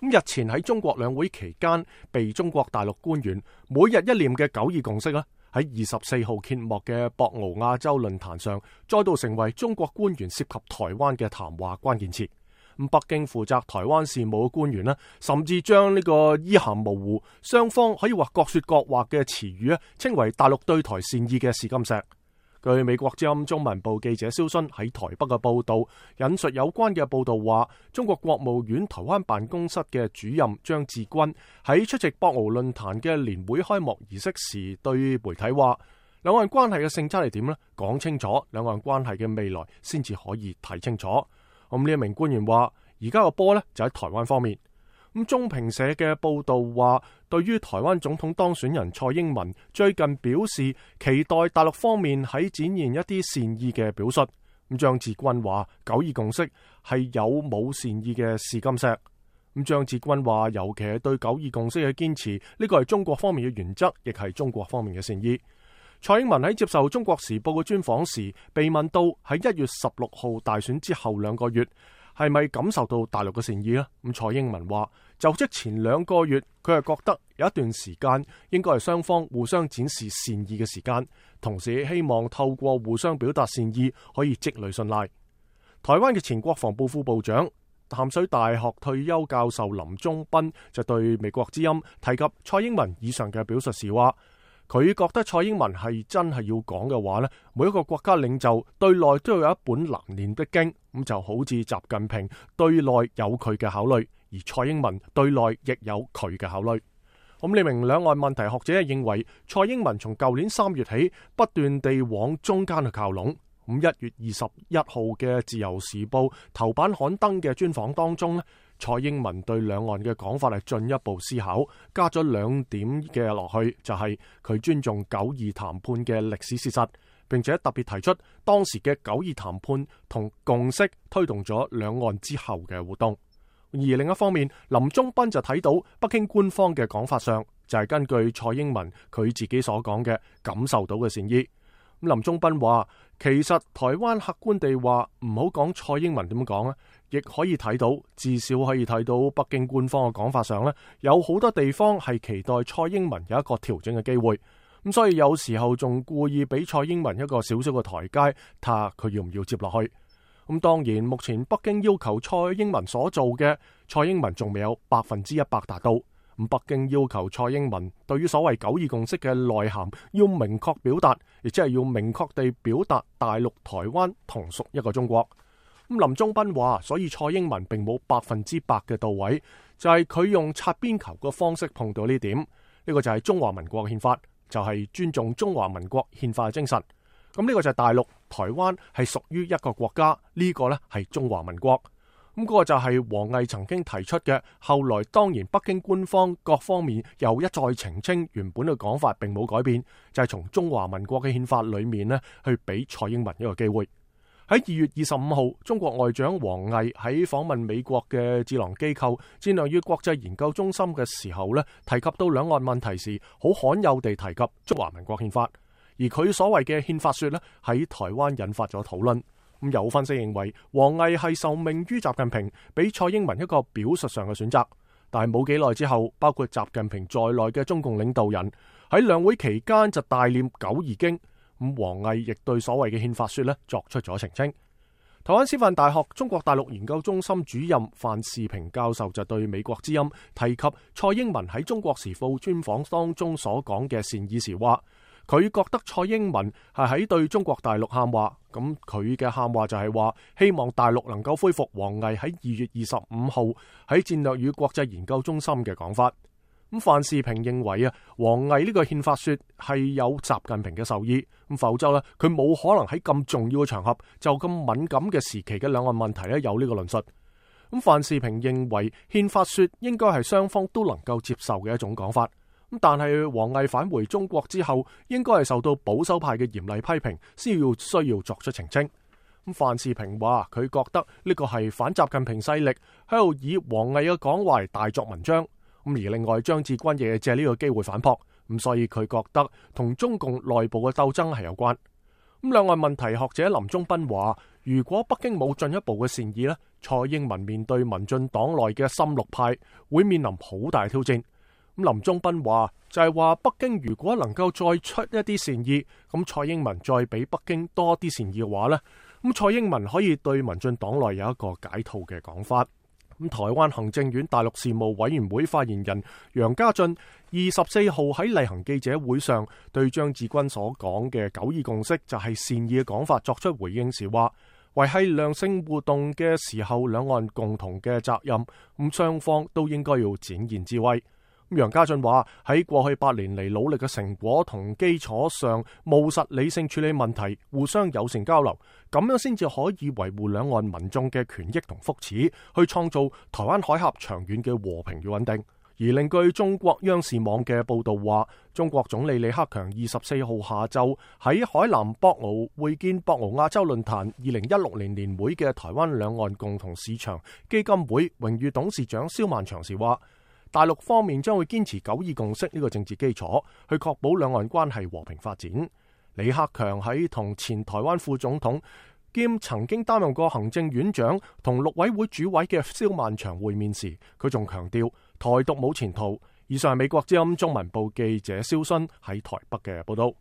日前喺中國兩會期間，被中國大陸官員每日一念嘅九二共識喺24號揭幕嘅博鰲亞洲論壇上，再度成為中國官員涉及台灣嘅談話關鍵詞。北京負責台灣事務嘅官員甚至將呢個意涵模糊、雙方可以話各說各話嘅詞語稱為大陸對台善意嘅試金石。據美國之音中文部記者蕭순喺台北嘅報道，引述有關嘅報道話，中國國務院台灣辦公室嘅主任張志軍喺出席博鰲論壇嘅年會開幕儀式時，對媒體話：兩岸關係嘅性質係點呢？講清楚兩岸關係嘅未來先至可以睇清楚。咁呢一名官員話：而家個波就喺台灣方面。中評社嘅報道話，對於台灣總統當選人蔡英文最近表示期待大陸方面喺展現一啲善意嘅表述。張志軍話：九二共識係有冇善意嘅試金石。張志軍話：尤其係對九二共識嘅堅持，呢個係中國方面嘅原則，亦係中國方面嘅善意。蔡英文喺接受《中國時報》嘅專訪時，被問到喺1月16號大選之後2個月，係咪感受到大陸嘅善意呢？蔡英文話：就職前2個月，佢係覺得有一段時間應該係雙方互相展示善意嘅時間，同時希望透過互相表達善意可以積累信賴。台灣嘅前國防部副部長、淡水大學退休教授林忠斌就對美國之音提及蔡英文以上嘅表述時話：佢覺得蔡英文係真係要講嘅話每一個國家領袖對內都要有一本難念的經，咁就好似習近平對內有佢嘅考慮，而蔡英文對內亦有佢嘅考慮。呢名兩岸問題學者認為，蔡英文從舊年3月起不斷地往中間去靠攏。1月21號嘅自由時報頭版刊登嘅專訪當中蔡英文對兩岸嘅講法係進一步思考，加咗2點嘅落去，就係佢尊重9·2談判嘅歷史事實，並且特別提出當時嘅9·2談判同共識推動咗兩岸之後嘅活動。而另一方面，林忠斌就睇到北京官方嘅講法上，就係根據蔡英文佢自己所講嘅感受到嘅善意。林忠斌話：其實台灣客觀地話唔好講蔡英文點講亦可以睇到，至少可以睇到北京官方嘅講法上有好多地方係期待蔡英文有一個調整嘅機會。所以有時候仲故意俾蔡英文一個少少嘅台階，睇下佢要唔要接落去。當然，目前北京要求蔡英文所做嘅，蔡英文仲未有100%達到。北京要求蔡英文對於所謂9·2共識嘅內涵要明確表達，亦即係要明確地表達大陸、台灣同屬一個中國。林忠斌話，所以蔡英文並冇100%嘅到位，就係佢用擦邊球嘅方式碰到呢點。呢個就係中華民國憲法，就係尊重中華民國憲法嘅精神。呢個就係大陸、台灣係屬於一個國家，呢個係中華民國。嗰個就係王毅曾經提出嘅，後來當然北京官方各方面又一再澄清原本嘅講法並冇改變，就係從中華民國嘅憲法裏面去俾蔡英文一個機會。喺2月25號，中國外長王毅喺訪問美國嘅智囊機構戰略與國際研究中心嘅時候提及到兩岸問題時，好罕有地提及中華民國憲法，而佢所謂嘅憲法說喺台灣引發咗討論。有分析認為，王毅係受命於習近平，俾蔡英文一個表述上嘅選擇。但係冇幾耐之後，包括習近平在內嘅中共領導人喺兩會期間就大念九二經。王毅亦對所謂嘅憲法說作出咗澄清。台灣師範大學中國大陸研究中心主任范士平教授就對美國之音提及蔡英文喺中國時報專訪當中所講嘅善意時話，佢覺得蔡英文係喺對中國大陸喊話，咁佢嘅喊話就係話希望大陸能夠恢復王毅喺2月25號喺戰略與國際研究中心嘅講法。范士平認為王毅呢個憲法說係有習近平嘅授意，否則佢冇可能喺咁重要嘅場合就咁敏感嘅時期嘅兩岸問題有呢個論述。范士平認為憲法說應該係雙方都能夠接受嘅一種講法。但係王毅返回中國之後，應該係受到保守派嘅嚴厲批評，先要需要作出澄清。范士平話佢覺得呢個係反習近平勢力喺度以王毅嘅講話大作文章。而另外張志軍亦借呢個機會反駁，所以佢覺得同中共內部嘅鬥爭係有關。兩岸問題學者林忠斌話，如果北京冇進一步嘅善意蔡英文面對民進黨內嘅深綠派，會面臨好大挑戰。咁林中斌話就係話，北京如果能夠再出一啲善意，咁蔡英文再俾北京多啲善意嘅話呢，咁蔡英文可以對民進黨內有一個解套嘅講法。咁台灣行政院大陸事務委員會發言人楊家俊24號喺例行記者會上對張志軍所講嘅九二共識就係善意嘅講法作出回應時話，維繫良性互動嘅時候，兩岸共同嘅責任，咁雙方都應該要展現智慧。楊家俊話喺過去8年嚟努力嘅成果同基礎上，務實理性處理問題，互相友善交流，咁樣先至可以維護兩岸民眾嘅權益同福祉，去創造台灣海峽長遠嘅和平與穩定。而另據中國央視網嘅報道話，中國總理李克強24號下晝喺海南博鰲會見博鰲亞洲論壇2016年年會嘅台灣兩岸共同市場基金會榮譽董事長蕭萬長時話，大陸方面將會堅持九二共識呢個政治基礎，去確保兩岸關係和平發展。李克強喺同前台灣副總統兼曾經擔任過行政院長同陸委會主委嘅蕭萬長會面時，佢仲強調台獨冇前途。以上係美國之音中文部記者蕭勳喺台北嘅報道。